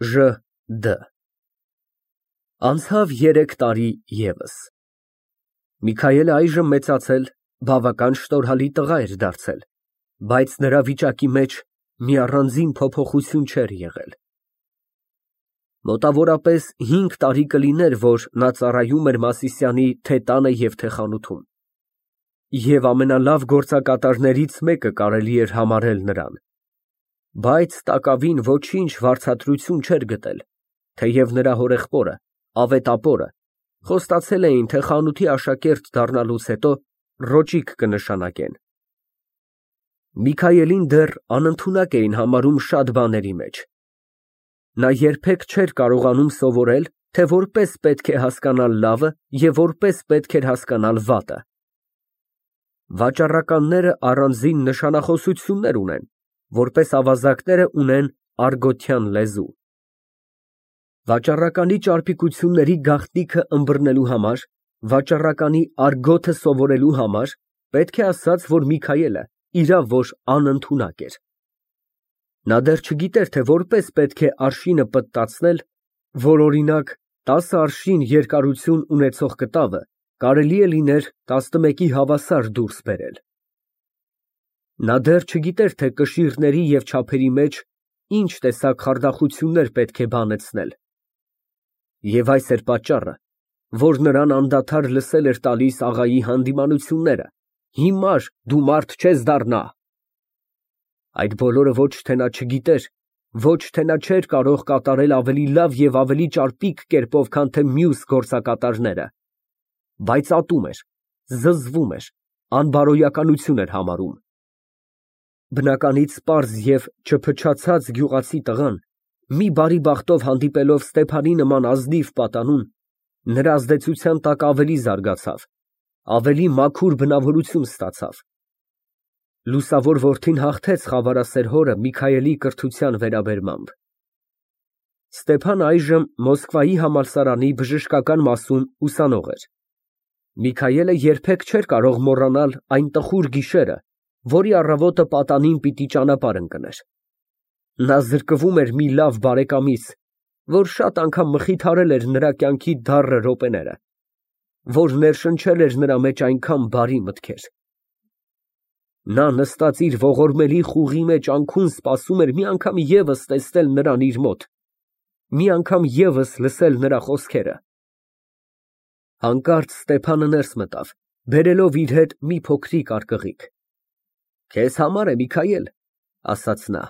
Ժ. Դ. Անցավ 3 տարի ևս։ Միքայելը այժմ մեծացել, բավական շնորհալի տղա էր դարձել, բայց նրա վիճակի մեջ մի առանձին փոփոխություն չէր եղել։ Մոտավորապես 5 տարի կլիներ, որ նա ծառայում էր Մասիսյանի թե տանը և թե խանութում, և ամենալավ գործակատարներից մեկը կարելի էր համարել նրան, բայց տակավին ոչինչ վարձատրություն չէր գտել, թեև նրա հորեղբորը, ավետապորը, խոստացել էին, թե խանութի աշակերտ դառնալուց հետո ռոճիկ կնշանակեն։ Միքայելին դեռ անընդունակ էին համարում շատ բաների մեջ։ Նա երբեք չէր կարողանում սովորել, թե որպես պետք է հասկանալ լավը և որպես պետք էր հասկանալ վատը։ Վաճառականները առանձին նշանախոսություններ ունեն, որպես ավազակները ունեն արգոթյան լեզու։ Վաճառականի ճարպիկությունների գաղտնիքը ըմբռնելու համար, վաճառականի արգոթը սովորելու համար պետք է ասած, որ Միքայելը իրավ որ անընդունակ էր։ Նա դեռ չգիտեր, թե որպես պետք է արշինը պտտացնել, որ օրինակ 10 արշին երկարություն ունեցող կտավը կարելի է լիներ 11-ի հավասար դուրս բերել։ Նա դեռ չգիտեր, թե կշիռների և չափերի մեջ ինչ տեսակ խարդախություններ պետք է բանեցնել։ Եվ այս էր պատճառը, որ նրան անդադար լսել էր տալիս աղայի հանդիմանությունները. հիմար դու մարդ չես դառնա։ Այդ բոլորը ոչ թե նա չգիտեր, ոչ թե նա չէր կարող կատարել ավելի լավ և ավելի ճարպիկ կերպով, քան թե մյուս գործակատարները, բայց ատում էր, զզվում էր, անբարոյականություն էր համարում։ Բնականից պարզ և չփչացած գյուղացի տղան, մի բարի բախտով հանդիպելով Ստեփանի նման ազնիվ պատանուն, նրա ազդեցության տակ ավելի զարգացավ, ավելի մաքուր բնավորություն ստացավ։ Լուսավոր որդին հաղթեց խավարասեր հորը Միքայելի կրթության վերաբերմամբ։ Ստեփանն այժմ Մոսկվայի համալսարանի բժշկական մասում ուսանող էր։ Միքայելը երբեք չէր կարող մոռանալ այն տխուր գիշերը, որի առավոտը պատանին պիտի ճանապարհ ընկներ։ Նա զրկվում էր մի լավ բարեկամից, որ շատ անգամ մխիթարել էր նրա կյանքի դառը րոպեները, որ ներշնչել էր նրա մեջ այնքան բարի մտքեր։ Նա նստած իր ողորմելի խուղի մեջ անքուն սպասում էր մի անգամ ևս տեսնել նրան իր մոտ, մի անգամ ևս լսել նրա խոսքերը։ Հանկարծ Ստեփանը ներս մտավ, բերելով իր հետ մի փոքրիկ արկղիկ։ Քեզ համար է, Միքայել, ասաց նա,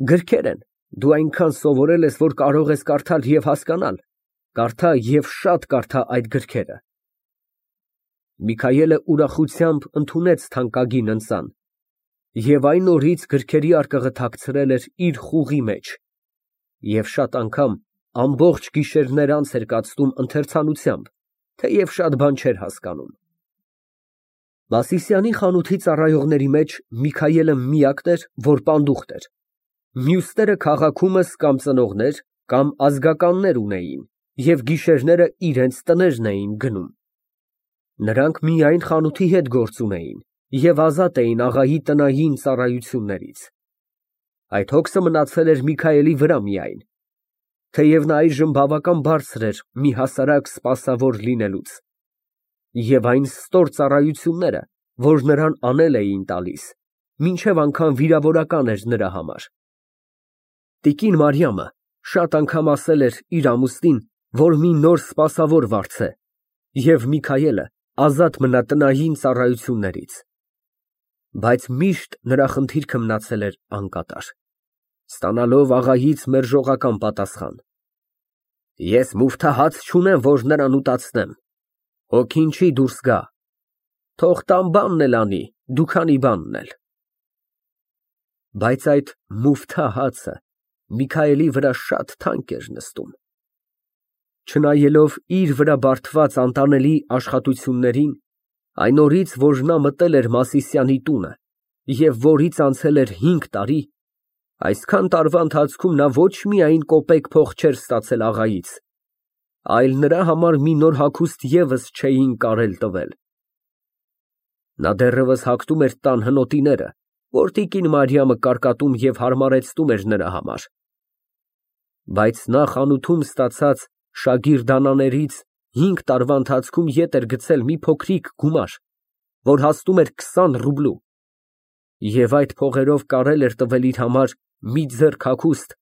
գրքեր են, դու այնքան սովորել ես, որ կարող ես կարդալ և հասկանալ, կարդա և շատ կարդա այդ գրքերը։ Միքայելը ուրախությամբ ընդունեց թանկագին ընծան և այն օրից գրքերի արկղը թաքցրել էր իր խուղի մեջ և շատ անգամ ամբողջ գիշերներ անց էր կացնում ընթերցանությամբ, թեև շատ բան չէր հասկանում։ Մասիսյանի խանութի ծառայողների մեջ Միքայելը միակն էր, որ պանդուխտ էր, մյուսները քաղաքումս կամ ծնողներ, կամ ազգականներ ունեին և գիշերները իրենց տներն էին գնում։ Նրանք միայն խանութի հետ գործ ունեին և ազատ էին աղայի տնային ծառայություններից։ Այդ հոգսը մնացել էր Միքայելի վրա միայն, թեև նա այժմ բավական բարձր էր մի հասարակ սպասավոր լինելուց, և այն ստոր ծառայությունները, որ նրան անել էին տալիս, մինչև անգամ վիրավորական էր նրա համար։ Տիկին Մարիամը շատ անգամ ասել էր իր ամուսնին, որ մի նոր սպասավոր վարձե, և Միքայելը ազատ մնա տնային ծառայություններից։ Բայց միշտ նրա խնդիրքը մնացել էր անկատար, ստանալով աղայից մերժողական պատասխան. Ես մուֆթահաց չունեմ, որ նրան ուտացնեմ, հոգին չի դուրս գա, թող տան բանն էլ անի, դու քանի բանն էլ։ Բայց այդ մուֆթահացը Միքայելի վրա շատ թանկ էր նստում։ Չնայելով իր վրա բարդված անտանելի աշխատություններին, այն օրից, որ նա մտել էր Մասիսյանի տունը և որից անցել էր 5 տարի, այսքան տարվա ընթացքում նա ոչ միայն կոպեկ փող չէր ստացել աղայից, այլ նրա համար մի նոր հագուստ ևս չէին կարել տվել։ Նա դեռևս հագնում էր տան հնոտիները, որ տիկին Մարիամը կարկատում և հարմարեցնում էր նրա համար։ Բայց նա խանութում ստացած շագիրդանաներից 5 տարվա ընթացքում ետ էր գցել մի փոքրիկ գումար, որ հասնում էր 20 ռուբլու, և այդ փողերով կարել էր տվել իր համար մի ձեռք հագուստ,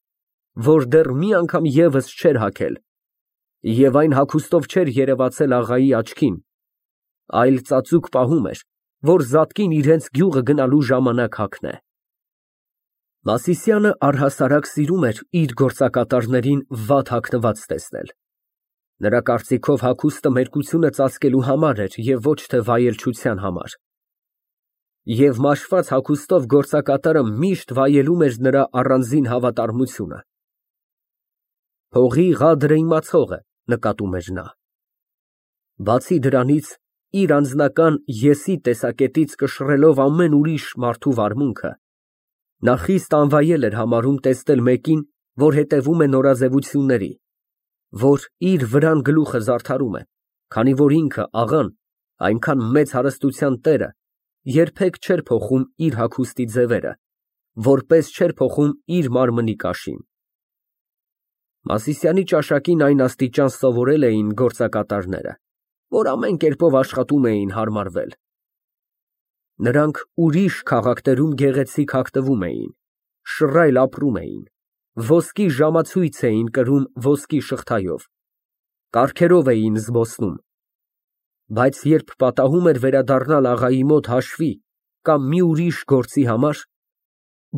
որ դեռ մի անգամ ևս չէր հագել, և այն հագուստով չէր երևացել աղայի աչքին, այլ ծածուկ պահում էր, որ զատկին իրենց գյուղը գնալու ժամանակ հագնե։ Մասիսյանը առհասարակ սիրում էր իր գործակատարներին վատ հագնված տեսնել։ Նրա կարծիքով հագուստը մերկությունը ծածկելու համար էր և ոչ թե վայելչության համար։ Եվ մաշված հագուստով գործակատարը միշտ վայելում էր նրա առանձին հավատարմությունը։ Փողի ղադրը իմացող է, նկատում էր նա։ Բացի դրանից, իր անձնական ես-ի տեսակետից կշռելով ամեն ուրիշ մարդու վարմունքը, նա խիստ անվայել էր համարում տեսնել մեկին, որ հետևում է նորաձևությունների, որ իր վրան գլուխը զարդարում է, քանի որ ինքը, աղան, այնքան մեծ հարստության տերը, երբեք չէր փոխում իր հագուստի ձևերը, որպես չէր փոխում իր մարմնի կաշին։ Մասիսյանի ճաշակին այն աստիճան սովորել էին գործակատարները, որ ամեն կերպով աշխատում էին հարմարվել։ Նրանք ուրիշ քաղաքներում գեղեցիկ հագնվում էին, շռայլ ապրում էին, ոսկի ժամացույց էին կրում ոսկի շղթայով, կառքերով էին զբոսնում, բայց երբ պատահում էր վերադառնալ աղայի մոտ հաշվի կամ մի ուրիշ գործի համար,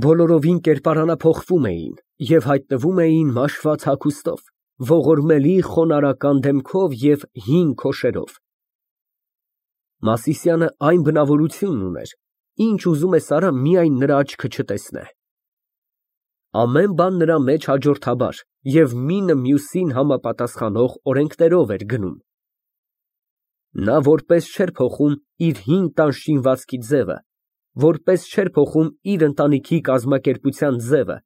բոլորովին կերպարանափոխվում էին և հայտնվում էին մաշված հագուստով, ողորմելի խոնարհական դեմքով և հին քոշերով։ Մասիսյանը այն բնավորությունն ուներ, ինչ ուզում է Սարան միայն նրա աչքը չտեսնե։ Ամեն բան նրա մեջ հաջորդաբար և մինը մյուսին համապատասխանող օրենքներով էր գնում։ Նա որպես չէր փոխում իր հին տան շինվածքի ձևը, որպես չէր փոխում իր ընտանիքի կազմակերպության ձևը,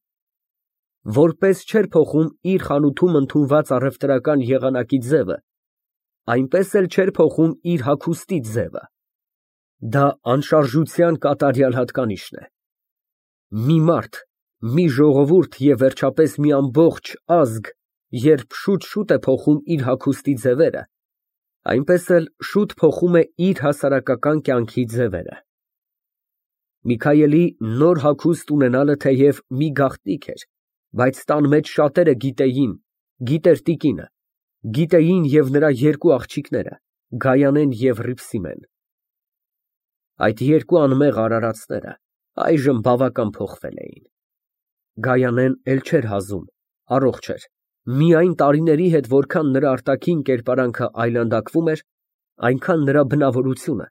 որպես չէր փոխում իր խանութում ընդունված առևտրական եղանակի ձևը, այնպես էլ չէր փոխում իր հագուստի ձևը։ Դա անշարժության կատարյալ հատկանիշն է։ Մի մարդ, մի ժողովուրդ և վերջապես մի ամբողջ ազգ, երբ շուտ-շուտ է փոխում իր հագուստի ձևերը, այնպես էլ շուտ փոխում է իր հասարակական կյանքի ձևերը։ Միքայելի նոր հագուստ ունենալը թեև մի գաղտնիք էր, բայց տան մեջ շատերը գիտեին, գիտեր տիկինը, գիտեին և նրա երկու աղջիկները՝ Գայանեն և Հռիփսիմեն։ Այդ երկու անմեղ արարածները այժմ բավական փոխվել էին։ Գայանեն էլ չէր հազում, առողջ էր, միայն տարիների հետ որքան նրա արտաքին կերպարանքը այլանդակվում էր, այնքան նրա բնավորությունը,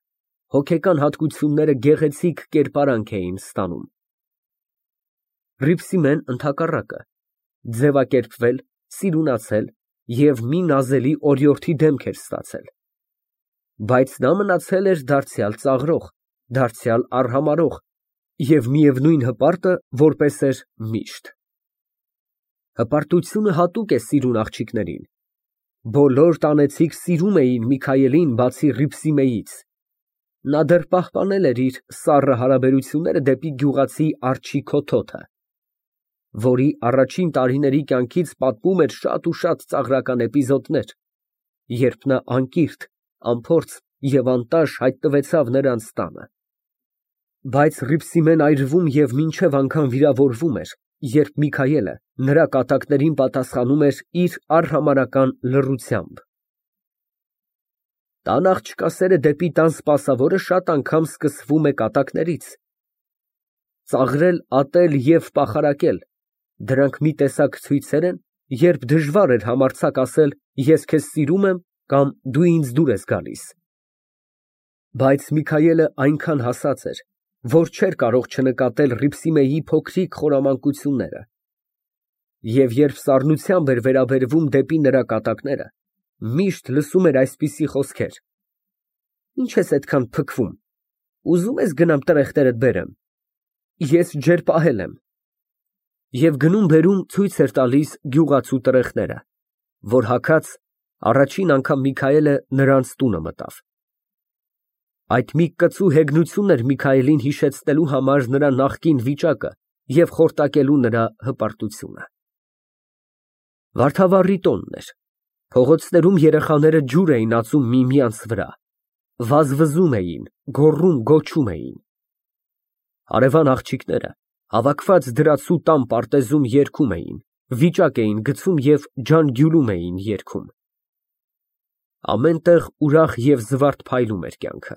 հոգեկան հատկությունները գեղեցիկ կերպարանք էին ստանում։ Հռիփսիմեն ընդհակառակը, ձևակերպվել, սիրունացել և մի նազելի օրիորդի դեմք էր ստացել։ Բայց նա մնացել էր դարձյալ ծաղրող, դարձյալ արհամարհող և միևնույն հպարտը որպես էր միշտ։ Հպարտությունը հատուկ է սիրուն աղջիկներին։ Բոլոր տանեցիք սիրում էին Միքայելին բացի Հռիփսիմեից։ Նա դեռ պահպանել էր իր սառը հարաբերությունները դեպի գյուղացի Արջի քոթոթը, որի առաջին տարիների կյանքից պատմում էր շատ ու շատ ծաղրական էպիզոդներ, երբ նա անկիրք, անփորձ և անտաշ հայտնվեցավ նրանց տանը։ Բայց Հռիփսիմեն այրվում և մինչև անգամ վիրավորվում էր, երբ Միքայելը նրա կատակներին պատասխանում էր իր արհամարհական լռությամբ։ Տան աղջկա սերը դեպի տան սպասավորը շատ անգամ սկսվում է կատակներից։ Ծաղրել, ատել և պախարակել ֊ դրանք մի տեսակ ցույցեր են, երբ դժվար էր համարձակ ասել «ես քեզ սիրում եմ» կամ «դու ինձ դուր ես գալիս»։ Բայց Միքայելը այնքան հասած էր, որ չէր կարող չնկատել Հռիփսիմեի փոքրիկ խորամանկությունները, և երբ սառնությամբ էր վերաբերվում դեպի նրա կատակները, միշտ լսում էր այսպիսի խոսքեր. «Ինչ ես այդքան փքվում, ուզո՞ւմ ես գնամ տրեխներդ բերեմ, ես ջերպահել եմ»։ Եվ գնում բերում ցույց էր տալիս գյուղացու տրեխները, որ հագած առաջին անգամ Միքայելը նրանց տունը մտավ։ Այդ մի կծու հեգնություն էր Միքայելին հիշեցնելու համար նրա նախկին վիճակը և խորտակելու նրա հպարտությունը։ Վարդավառի տոնն էր։ Փողոցներում երեխաները ջուր էին ածում միմյանց վրա, վազվզում էին, գոռում էին։ Հարևան աղջիկները հավաքված դրացու տան պարտեզում երգում էին, վիճակ էին գցում և ջանգյուլում էին երգում։ Ամեն տեղ ուրախ և զվարթ փայլում էր կյանքը։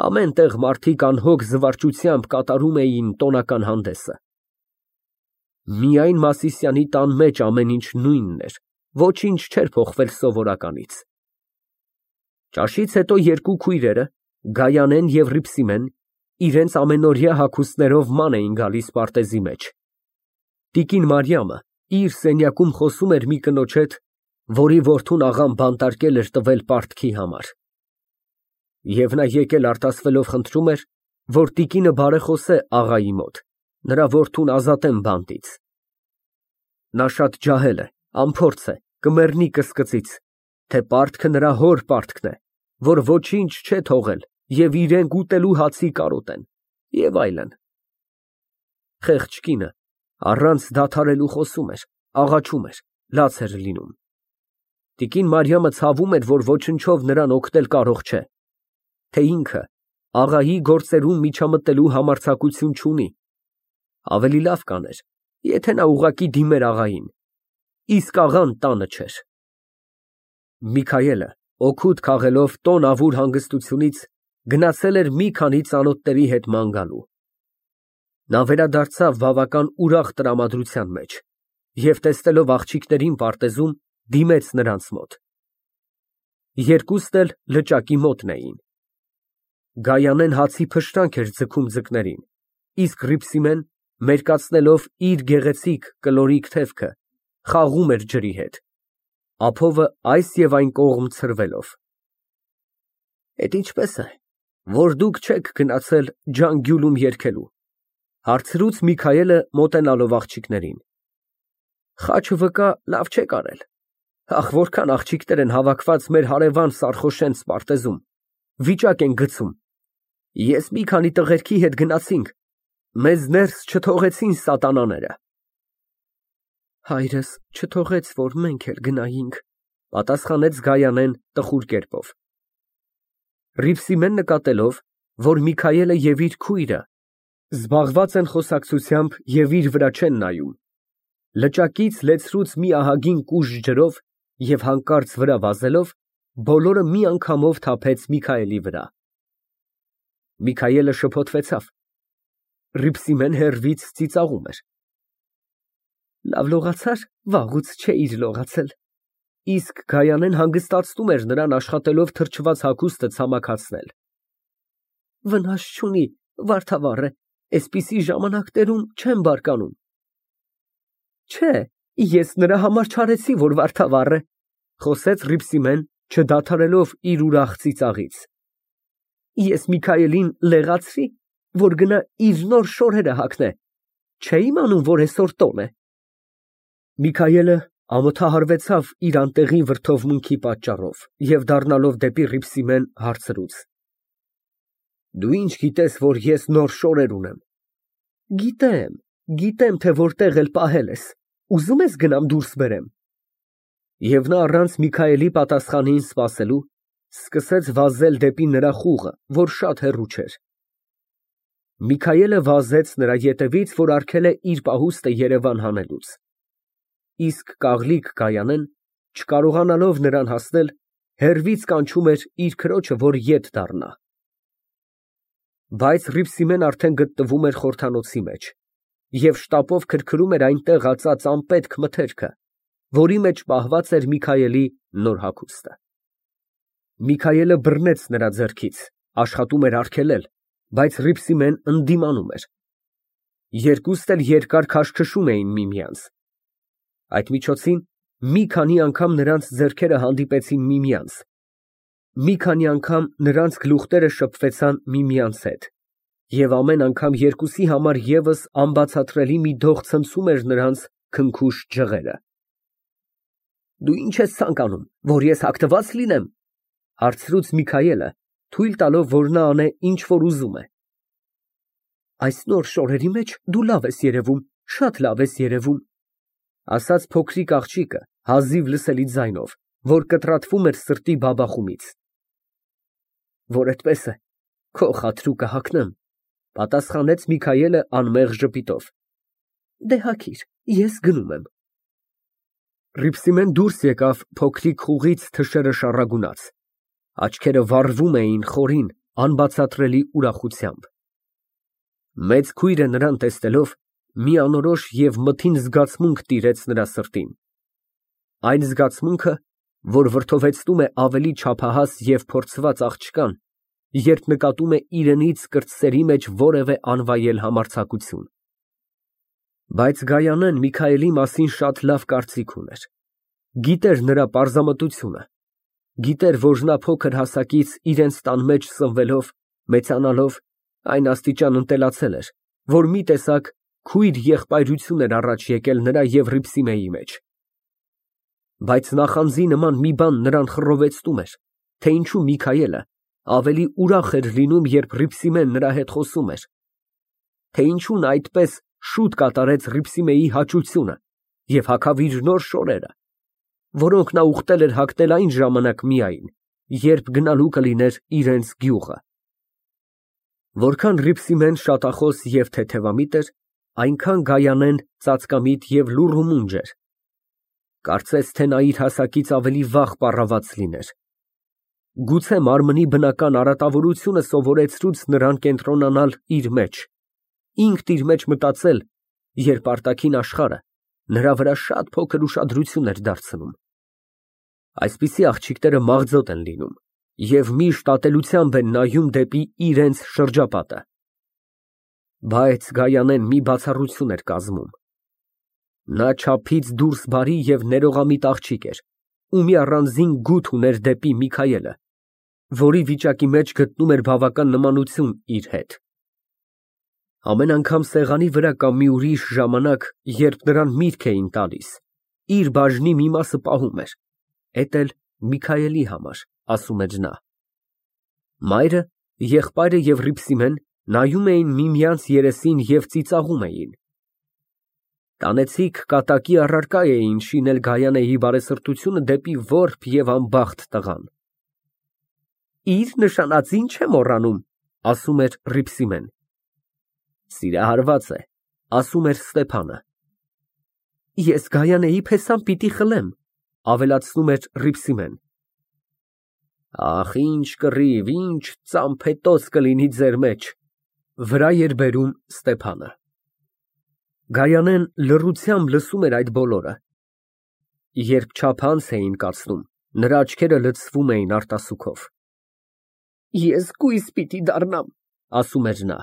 Ամեն տեղ մարդիկ անհոգ զվարճությամբ կատարում էին տոնական հանդեսը։ Միայն Մասիսյանի տան մեջ ամեն ինչ նույնն էր, ոչինչ չէր փոխվել սովորականից։ Ճաշից հետո երկու քույրերը՝ Գայանեն և Հռիփսիմեն, իրենց ամենօրյա հագուստներով ման էին գալիս պարտեզի մեջ։ Տիկին Մարիամը իր սենյակում խոսում էր մի կնոջ հետ, որի որդուն աղան բանտարկել էր տվել պարտքի համար։ Եվ նա եկել արտասվելով խնդրում էր, որ տիկինը բարեխոսե աղայի մոտ, նրա որդուն ազատեն բանտից։ Նա շատ ջահել է, անփորձ է, կմեռնի կսկծից, թե պարտքը նրա հոր պարտքն է, որ ոչինչ չէ թողել և իրենք ուտելու հացի կարոտ են, և այլն։ Խեղճ կինը առանց դադարելու խոսում էր, աղաչում էր, լաց էր լինում։ Տիկին Մարիամը ցավում էր, որ ոչնչով նրան օգնել կարող չէ, թե ինքը աղայի գործերում միջամտելու համարձակություն չունի։ Ավելի լավ կաներ, եթե նա ուղղակի դիմեր աղային, իսկ աղան տանը չէր։ Միքայելը, օգուտ քաղելով տոն֊ավուր հանգստությունից, գնացել էր մի քանի ծանոթների հետ ման գալու։ Նա վերադարձավ բավական ուրախ տրամադրության մեջ և, տեսնելով աղջիկներին պարտեզում, դիմեց նրանց մոտ։ Երկուսն էլ լճակի մոտն էին։ Գայանեն հացի փշրանք էր ձգում ձկներին, իսկ Հռիփսիմեն, մերկացնելով իր գեղեցիկ կլորիկ թևքը, խաղում էր ջրի հետ, ափովը այս և այն կողմ ցրվելով։ Էդ ինչպե՞ս է, որ դուք չեք գնացել ջանգյուլում երգելու, հարցրուց Միքայելը մոտենալով աղջիկներին։ Խաչը վկա լավ չեք արել։ Ախ, որքան աղջիկներ են հավաքված մեր հարևան Սարխոշենց պարտեզում, վիճակ են գցում։ Ես մի քանի տղերքի հետ գնացինք, մեզ ներս չթողեցին սատանաները։ Հայրս չթողեց, որ մենք էլ գնայինք, պատասխանեց Գայանեն տխուր կերպով։ Հռիփսիմեն նկատելով, որ Միքայելը և իր քույրը զբաղված են խոսակցությամբ և իր վրա չեն նայում, լճակից լեցրուց մի ահագին կուժ ջրով և հանկարծ վրա վազելով, բոլորը մի անգամով թափեց Միքայելի վրա։ Միքայելը շփոթվեցավ, Հռիփսիմեն հեռվից ծիծաղում էր։ Լավ լողացար, վաղուց չէիր լողացել։ Իսկ Գայանեն հանգստացնում էր նրան աշխատելով թրջված հագուստը ցամաքացնել։ Վնաս չունի, վարդավառ է, էսպիսի ժամանակներում չեմ բարկանում։ Չէ, ես նրա համար չարեցի, որ վարդավառ է, խոսեց Հռիփսիմեն, չդադարելով իր ուրախ ծիծաղից։ Ես Միքայելին լեղացրի, որ գնա իր նոր շորերը հագնե, չէ իմանում, որ այսօր տոն է։ Միքայելը ամոթահարվեցավ իր անտեղի վրդովմունքի պատճառով և դառնալով դեպի Հռիփսիմեն հարցրուց. Դու ինչ գիտես, որ ես նոր շորեր ունեմ։ Գիտեմ, թե որտեղ էլ պահել ես, ուզում ես գնամ դուրս բերեմ։ Եվ նա առանց Միքայելի պատասխանին սպասելու, սկսեց վազել դեպի նրա խուղը, որ շատ հեռու չէր։ Միքայելը վազեց նրա ետևից, որ արգել է իր պահուստը երևան հանելուց։ Իսկ կաղլիկ Գայանեն, չկարողանալով նրան հասնել, հեռվից կանչում էր իր քրոջը, որ ետ դառնա։ Բայց Հռիփսիմեն արդեն գտնվում էր խորհրդանոցի մեջ և շտապով քրքրում էր այնտեղ ածած անպետք մթերքը, որի մեջ պահված էր Միքայելի նոր հագուստը։ Միքայելը բռնեց նրա ձեռքից, աշխատում էր արգելել, բայց Հռիփսիմեն ընդդիմանում էր։ Երկուստ էլ երկար քաշքշում էին միմյանց։ Այդ միջոցին մի քանի անգամ նրանց ձեռքերը հանդիպեցին միմյանց։ Մի քանի անգամ նրանց գլուխները շփվեցան միմյանց հետ, և ամեն անգամ երկուսի համար ևս անբացատրելի մի դող ցնցում էր նրանց քնքուշ ջղերը։ Դու ի՞նչ ես ցանկանում, որ ես հագնված լինեմ, հարցրուց Միքայելը, թույլ տալով, որ նա անե, ինչ որ ուզում է։ Այս նոր շորերի մեջ դու լավ ես երևում, շատ լավ ես երևում, Ասաց փոքրիկ աղջիկը հազիվ լսելի ձայնով, որ կտրատվում էր սրտի բաբախումից։ Որ այդպես է, քո խաթրուկը հագնեմ, պատասխանեց Միքայելը անմեղ ժպիտով։ Դե հագիր, ես գնում եմ։ Հռիփսիմեն դուրս եկավ փոքրիկ խուղից թշերը շառագունած, աչքերը վառվում էին խորին, անբացատրելի ուրախությամբ։ Մեծ քույրը նրան տեսնելով մի անորոշ և մթին զգացմունք տիրեց նրա սրտին։ Այն զգացմունքը, որ վրդովեցնում է ավելի չափահաս և փորձված աղջկան, երբ նկատում է իրենից կրտսերի մեջ որևէ անվայել համարձակություն։ Բայց Գայանեն Միքայելի մասին շատ լավ կարծիք ուներ։ Գիտեր նրա պարզամտությունը, գիտեր, որ նա փոքր հասակից իրենց տան մեջ սնվելով, մեծանալով, այն աստիճան ընտելացել էր, որ մի տեսակ քույր֊եղբայրություն էր առաջ եկել նրա և Հռիփսիմեի մեջ։ Բայց նախանձի նման մի բան նրան խռովեցնում էր, թե ինչու Միքայելը ավելի ուրախ էր լինում, երբ Հռիփսիմեն նրա հետ խոսում էր, թե ինչու նա այդպես շուտ կատարեց Հռիփսիմեի հաճությունը և հագավ իր նոր շորերը, որոնք նա ուխտել էր հագնել այն ժամանակ միայն, երբ գնալու կլիներ իրենց գյուղը։ Որքան Հռիփսիմեն շատախոս և թեթևամիտ էր, այնքան Գայանեն ծածկամիտ և լուռ ու մունջ էր։ Կարծես թե նա իր հասակից ավելի վաղ պառաված լիներ։ Գուցե մարմնի բնական արատավորությունը սովորեցրուց նրան կենտրոնանալ իր մեջ, ինքն իր մեջ մտածել, երբ արտաքին աշխարհը նրա վրա շատ փոքր ուշադրություն էր դարձնում։ Այսպիսի աղջիկները մաղձոտ են լինում և միշտ ատելությամբ են նայում դեպի իրենց շրջապատը։ Բայց Գայանեն մի բացառություն էր կազմում։ Նա չափից դուրս բարի և ներողամիտ աղջիկ էր, ու մի առանձին գութ ուներ դեպի Միքայելը, որի վիճակի մեջ գտնում էր բավական նմանություն իր հետ։ Ամեն անգամ սեղանի վրա կամ մի ուրիշ ժամանակ, երբ նրան միտք էին տալիս, իր բաժնի մի մասը պահում էր, էդ էլ Միքայելի համար, ասում էր նա։ Մայրը, եղբայրը և Հռիփսիմեն նայում էին միմյանց երեսին և ծիծաղում էին։ Տանեցիք կատակի առարկա էին շինել Գայանեի բարեսրտությունը դեպի որբ և անբախտ տղան։ Իր նշանածին չեմ մոռանում, ասում էր Հռիփսիմեն։ Սիրահարված է, ասում էր Ստեփանը։ Ես Գայանեի փեսան պիտի խլեմ, ավելացնում էր Հռիփսիմեն։ Ախ, ինչ կռիվ, ինչ ծամփետոց կլինի ձեր մեջ, վրա էր բերում Ստեփանը։ Գայանեն լռությամբ լսում էր այդ բոլորը։ Երբ չափանց էին կացնում, նրա աչքերը լցվում էին արտասուքով։ Ես կույս պիտի դառնամ, ասում էր նա։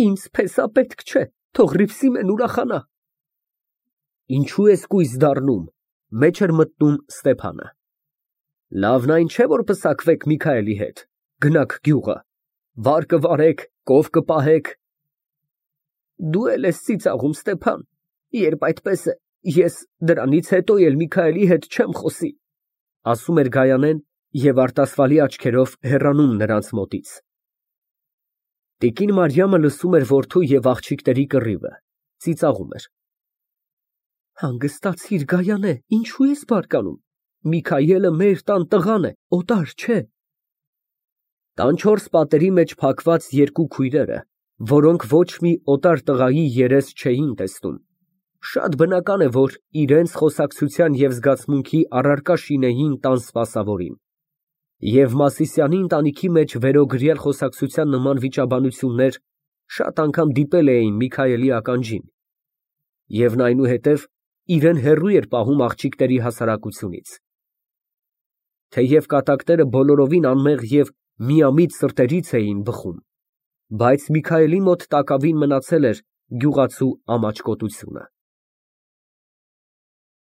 Ինձ փեսա պետք չէ, թող Հռիփսիմեն ուրախանա։ Ինչու ես կույս դառնում, մեջ էր մտնում Ստեփանը։ Լավն այն չէ, որ պսակվեք Միքայելի հետ, գնաք գյուղը, վար կվարեք, կով կպահեք։ Դու էլ ես ծիծաղում, Ստեփան, երբ այդպես է, ես դրանից հետո էլ Միքայելի հետ չեմ խոսի, ասում էր Գայանեն և արտասվալի աչքերով հեռանում նրանց մոտից։ Տիկին Մարիամը լսում էր որդու և աղջիկների կռիվը, ծիծաղում էր։ Հանգստացիր, Գայանե, ինչու ես բարկանում, Միքայելը մեր տան տղան է, օտար չէ։ Տան չորս պատերի մեջ փակված երկու քույրերը, որոնք ոչ մի օտար տղայի երես չէին տեսնում, շատ բնական է, որ իրենց խոսակցության և զգացմունքի առարկա շինեին տան սպասավորին։ Եվ Մասիսյանի ընտանիքի մեջ վերոգրյալ խոսակցության նման վիճաբանություններ շատ անգամ դիպել էին Միքայելի ականջին, և նա այնուհետև իրեն հեռու էր պահում աղջիկների հասարակությունից։ Թեև կատակները բոլորովին անմեղ և միամիտ սրտերից էին բխում, բայց Միքայելի մոտ տակավին մնացել էր գյուղացու ամաչկոտությունը։